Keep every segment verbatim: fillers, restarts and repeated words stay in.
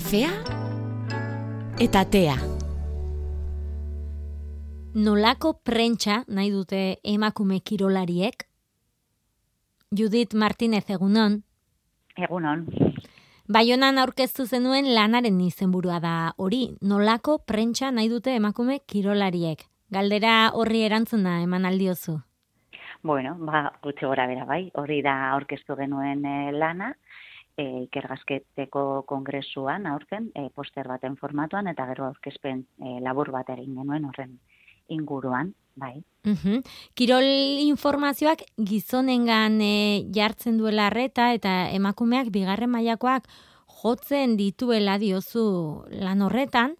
kafea eta tea. Nolako prentsa nahi dute emakume kirolariek? Judith Martinez, egunon. Egunon. Baionan aurkeztu zenuen lanaren izenburua da hori. Nolako prentsa nahi dute emakume kirolariek? Galdera horri erantzuna eman aldiozu. Bueno, ba, gutxi gora bera bai, hori da aurkeztu genuen e, lana, e, ikergasketeko kongresuan aurten, e, poster baten formatuan, eta gero aurkezpen e, labur bat egin genuen horren inguruan, bai. Uhum. Kirol informazioak gizonengan e, jartzen duela arreta eta emakumeak bigarren mailakoak jotzen dituela diozu lan horretan,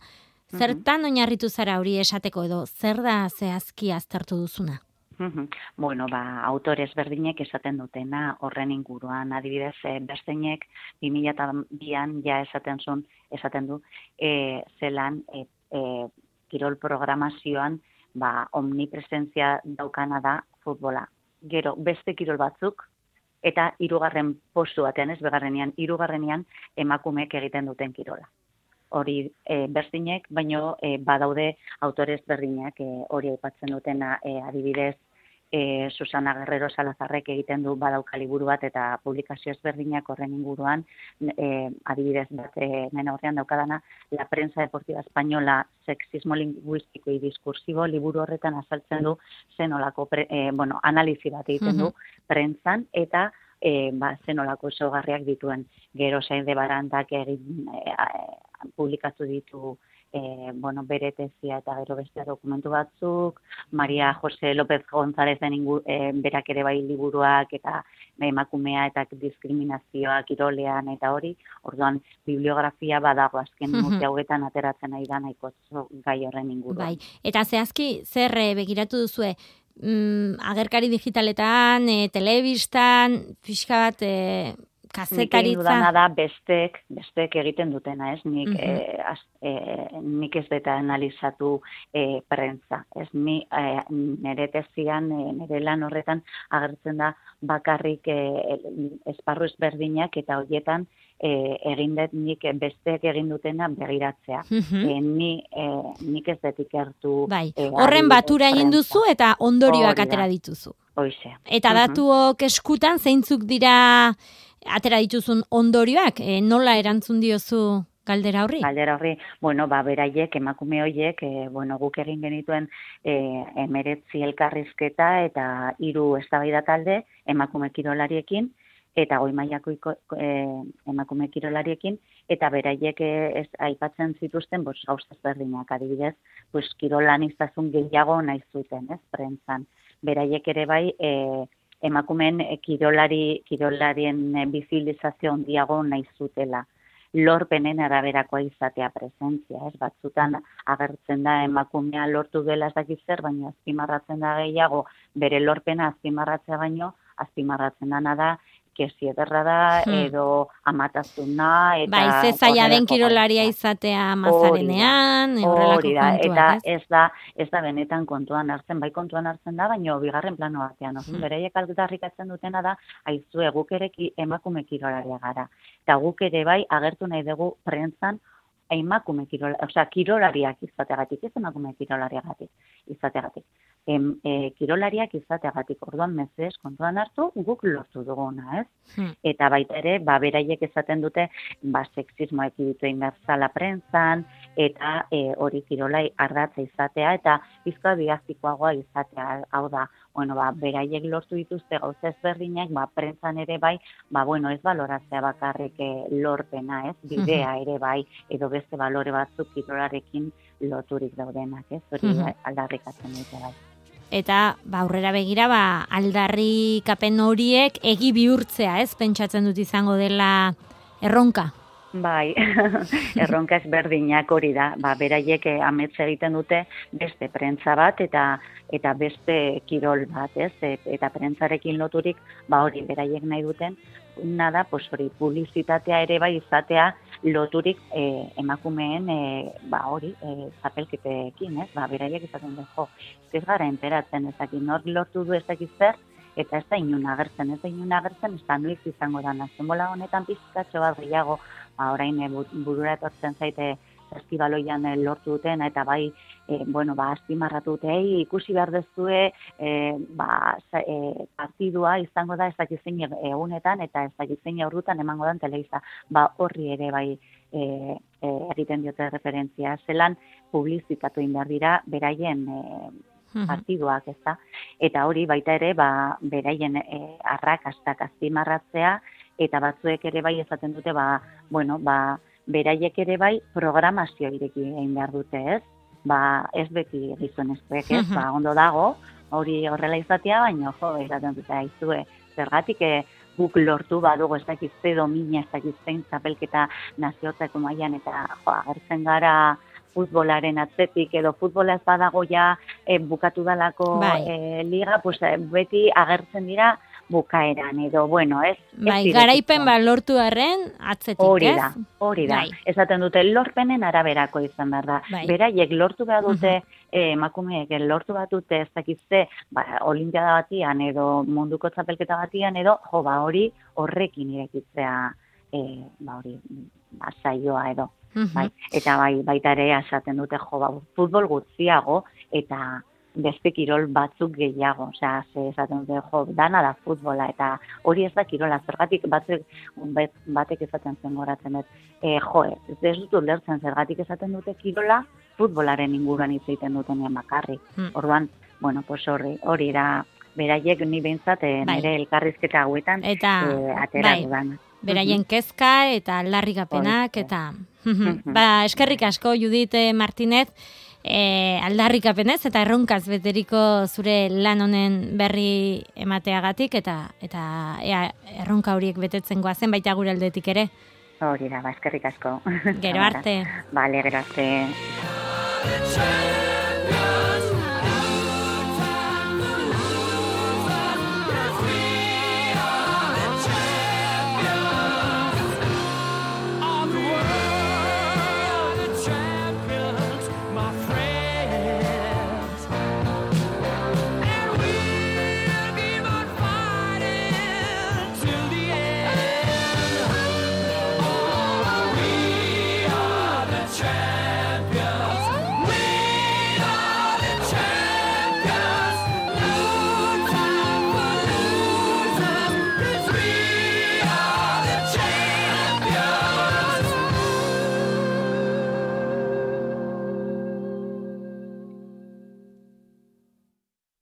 zertan uhum. Oinarritu zara hori esateko edo zer da zehazki aztertu duzuna? Bueno, ba, autores berdinek esaten dutena horren inguruan, adibidez, e, Bersteinek bi mila bian ja esaten zuen, esaten du, e, zelan e, e, kirol programazioan ba, omnipresentzia daukana da futbola. Gero, beste kirol batzuk, eta hirugarren postu batean, ez begarrenean, hirugarrenean emakumeek egiten duten kirola. Hori e, Bersteinek, baino e, badaude autores berdinak e, hori aipatzen dutena, e, adibidez, E, Susana Guerrero Salazarrek egiten du badauka liburu bat eta publikazio ezberdinak horren inguruan, e, adibidez bat e, nena horrean daukadana, La prensa deportiva española, sexismo lingüístico y discursivo, liburu horretan azaltzen du zenolako, e, bueno, analizi bat egiten du prentsan eta e, ba, zenolako ezaugarriak dituen. Gero Sain de Barandak egin e, e, publikatu ditu E, bueno, bere tezia eta gero beste dokumentu batzuk, Maria Jose López Gonzálezen ingu, e, berak ere bai liburuak eta emakumea eta diskriminazioa kirolean eta hori, orduan bibliografia badago azken urte hauetan ateratzen ari da nahiko gai horren inguruan. Bai, eta zehazki zer begiratu duzue? Mm, agerkari digitaletan, e, telebistan, pixka bat... E... Nik egin dudana da bestek, bestek egiten dutena, ez? Nik, uh-huh. e, az, e, nik ez deta analizatu e, prentza. Ez ni e, nire tezian, e, nire lan horretan agertzen da bakarrik e, esparru ezberdinak eta horietan e, egin dut nik bestek egin dutena begiratzea. Uh-huh. E, ni, e, nik ez dut ikertu... Bai, e, horren batura egin duzu eta ondorioak atera dituzu. Hoize. Eta datuok uh-huh. eskutan zeintzuk dira... Atera dituzun ondorioak, e, nola erantzun diozu galdera horri? Galdera horri, bueno, ba, beraiek, emakume horiek, e, bueno, guk egin genituen e, emeretzi elkarrizketa eta hiru eztabaida talde emakume kirolariekin, eta goi mailako e, emakume kirolariekin, eta beraiek ez aipatzen zituzten, bos, gauza ezberdinak adibidez, pues, kirolaniztasun gehiago nahi zuten, ez, prentzan. Beraiek ere bai, e, emakumeen kirolari, kirolarien bizilizazio handiago nahi zutela. Lorpenen araberakoa izatea presentzia, ez? Batzutan agertzen da emakumea lortu dela ez dakit zer, baina azpimarratzen da gehiago, bere lorpena azpimarratzea baino, azpimarratzen dana da, kesi ederra da, edo amatazuna, eta... Bai, ze zaila den kirolaria izatea mazarenean, horrelako kontuak, eta ez da, ez da benetan kontuan hartzen, bai kontuan hartzen da, baina bigarren plano batean, hmm. bereiek aldarrikatzen dutena da, aizue guk ere emakume kirolaria gara, eta guk ere bai agertu nahi dugu prentzan emakume kirolariak, osea, kirolariak izateagatik, ez emakume kirolariagatik izateagatik. Em, e, kirolariak izateagatik, orduan mezez kontuan hartu, guk lortu duguna, ez? Hmm. Eta baita ere, ba, beraiek esaten dute, ba, sexismoa ekiditu inbertzala prentzan, eta e, hori kirolai ardatza izatea, eta bizkoa diaztikoagoa izatea, hau da, bueno, ba, beraiek lortu dituzte gauza ezberdinak, ba, prentzan ere bai, ba, bueno, ez baloratzea bakarrik e, lorpena, ez? Bidea ere bai, edo beste balore batzuk kirolarekin loturik daudenak, ez? Hori uh-huh. aldarrikatzen dute bai. Eta ba, aurrera begira ba, aldarrikapen horiek egi bihurtzea, ez? Pentsatzen dut izango dela erronka. Bai, erronka ezberdinak hori da. Ba, beraiek amets egiten dute beste prentza bat eta eta beste kirol bat, ez? Eta prentzarekin loturik, ba hori beraiek nahi duten, nada, pues hori publizitatea ere bai izatea loturik eh, emakumeen eh, ba hori eh, zapelketekin, ez? Ba beraiek izaten du, jo, ez gara enteratzen, ez dakit nor lortu du ez dakit zer, eta ez da inun agertzen, ez da inun agertzen, ez da noiz izango da, zenbola honetan pizkatxo bat gehiago, ba, orain burura etortzen zaite saskibaloian lortu duten, eta bai, e, bueno, ba, azpimarratu dute, ei, ikusi behar dezue, e, ba, e, partidua izango da ez dakizein egunetan, eta ez dakizein aurrutan emango dan telebista, ba, horri ere bai, e, e, egiten diote referentzia, zelan publizitatu indar dira, beraien e, partiduak, ez da, eta hori baita ere, ba, beraien e, arrakastak azpimarratzea, eta batzuek ere bai esaten dute, ba, bueno, ba, beraiek ere bai programazio ireki egin behar dute, ez? Ba, ez beti gizonezkoek, ez? Ba, ondo dago, hori horrela izatea, baina, jo, esaten dute, aizue, zergatik e, guk lortu badugu, ez dakizte domina, ez dakiztein txapelketa naziotako mailan, eta, jo, agertzen gara futbolaren atzetik, edo futbola ez badago ja e, bukatu dalako bai. e, liga, pues, beti agertzen dira bukaeran, edo, bueno, ez... Bai, garaipen ba lortu arren, atzetik, hori ez? Da, hori da, bai. Esaten dute, lorpenen araberako izan behar da. Bai. Beraiek lortu behar dute, uh -huh. eh, emakumeek lortu behar dute, ez dakizte, ba, olimpiada batian, edo munduko txapelketa batian, edo, jo, ba, hori horrekin irekitzea, eh, ba, hori, ba, saioa, edo. Uh -huh. Bai. Eta bai, baita ere, esaten dute, jo, ba, futbol gutxiago, eta beste kirol batzuk gehiago, osea, ze esaten dute, jo, dana da futbola, eta hori ez da kirola, zergatik batzuk, batek esaten zen goratzen, ez, e, jo, ez dut ulertzen, zergatik esaten dute kirola, futbolaren inguruan hitz egiten dutenean bakarrik. Hmm. Orduan, bueno, pues hori, hori da, beraiek ni behintzat, e, bai. Nire elkarrizketa hauetan, eta, e, atera bai. dudan. Beraien kezka eta aldarrikapenak, eta, ba, eskerrik asko, Judit Martinez, E, aldarrikapenez eta erronkaz beteriko zure lan honen berri emateagatik, eta eta ea, erronka horiek betetzen goazen baita gure aldetik ere. Hori da, ba, eskerrik asko. Gero arte. Bale, gero arte.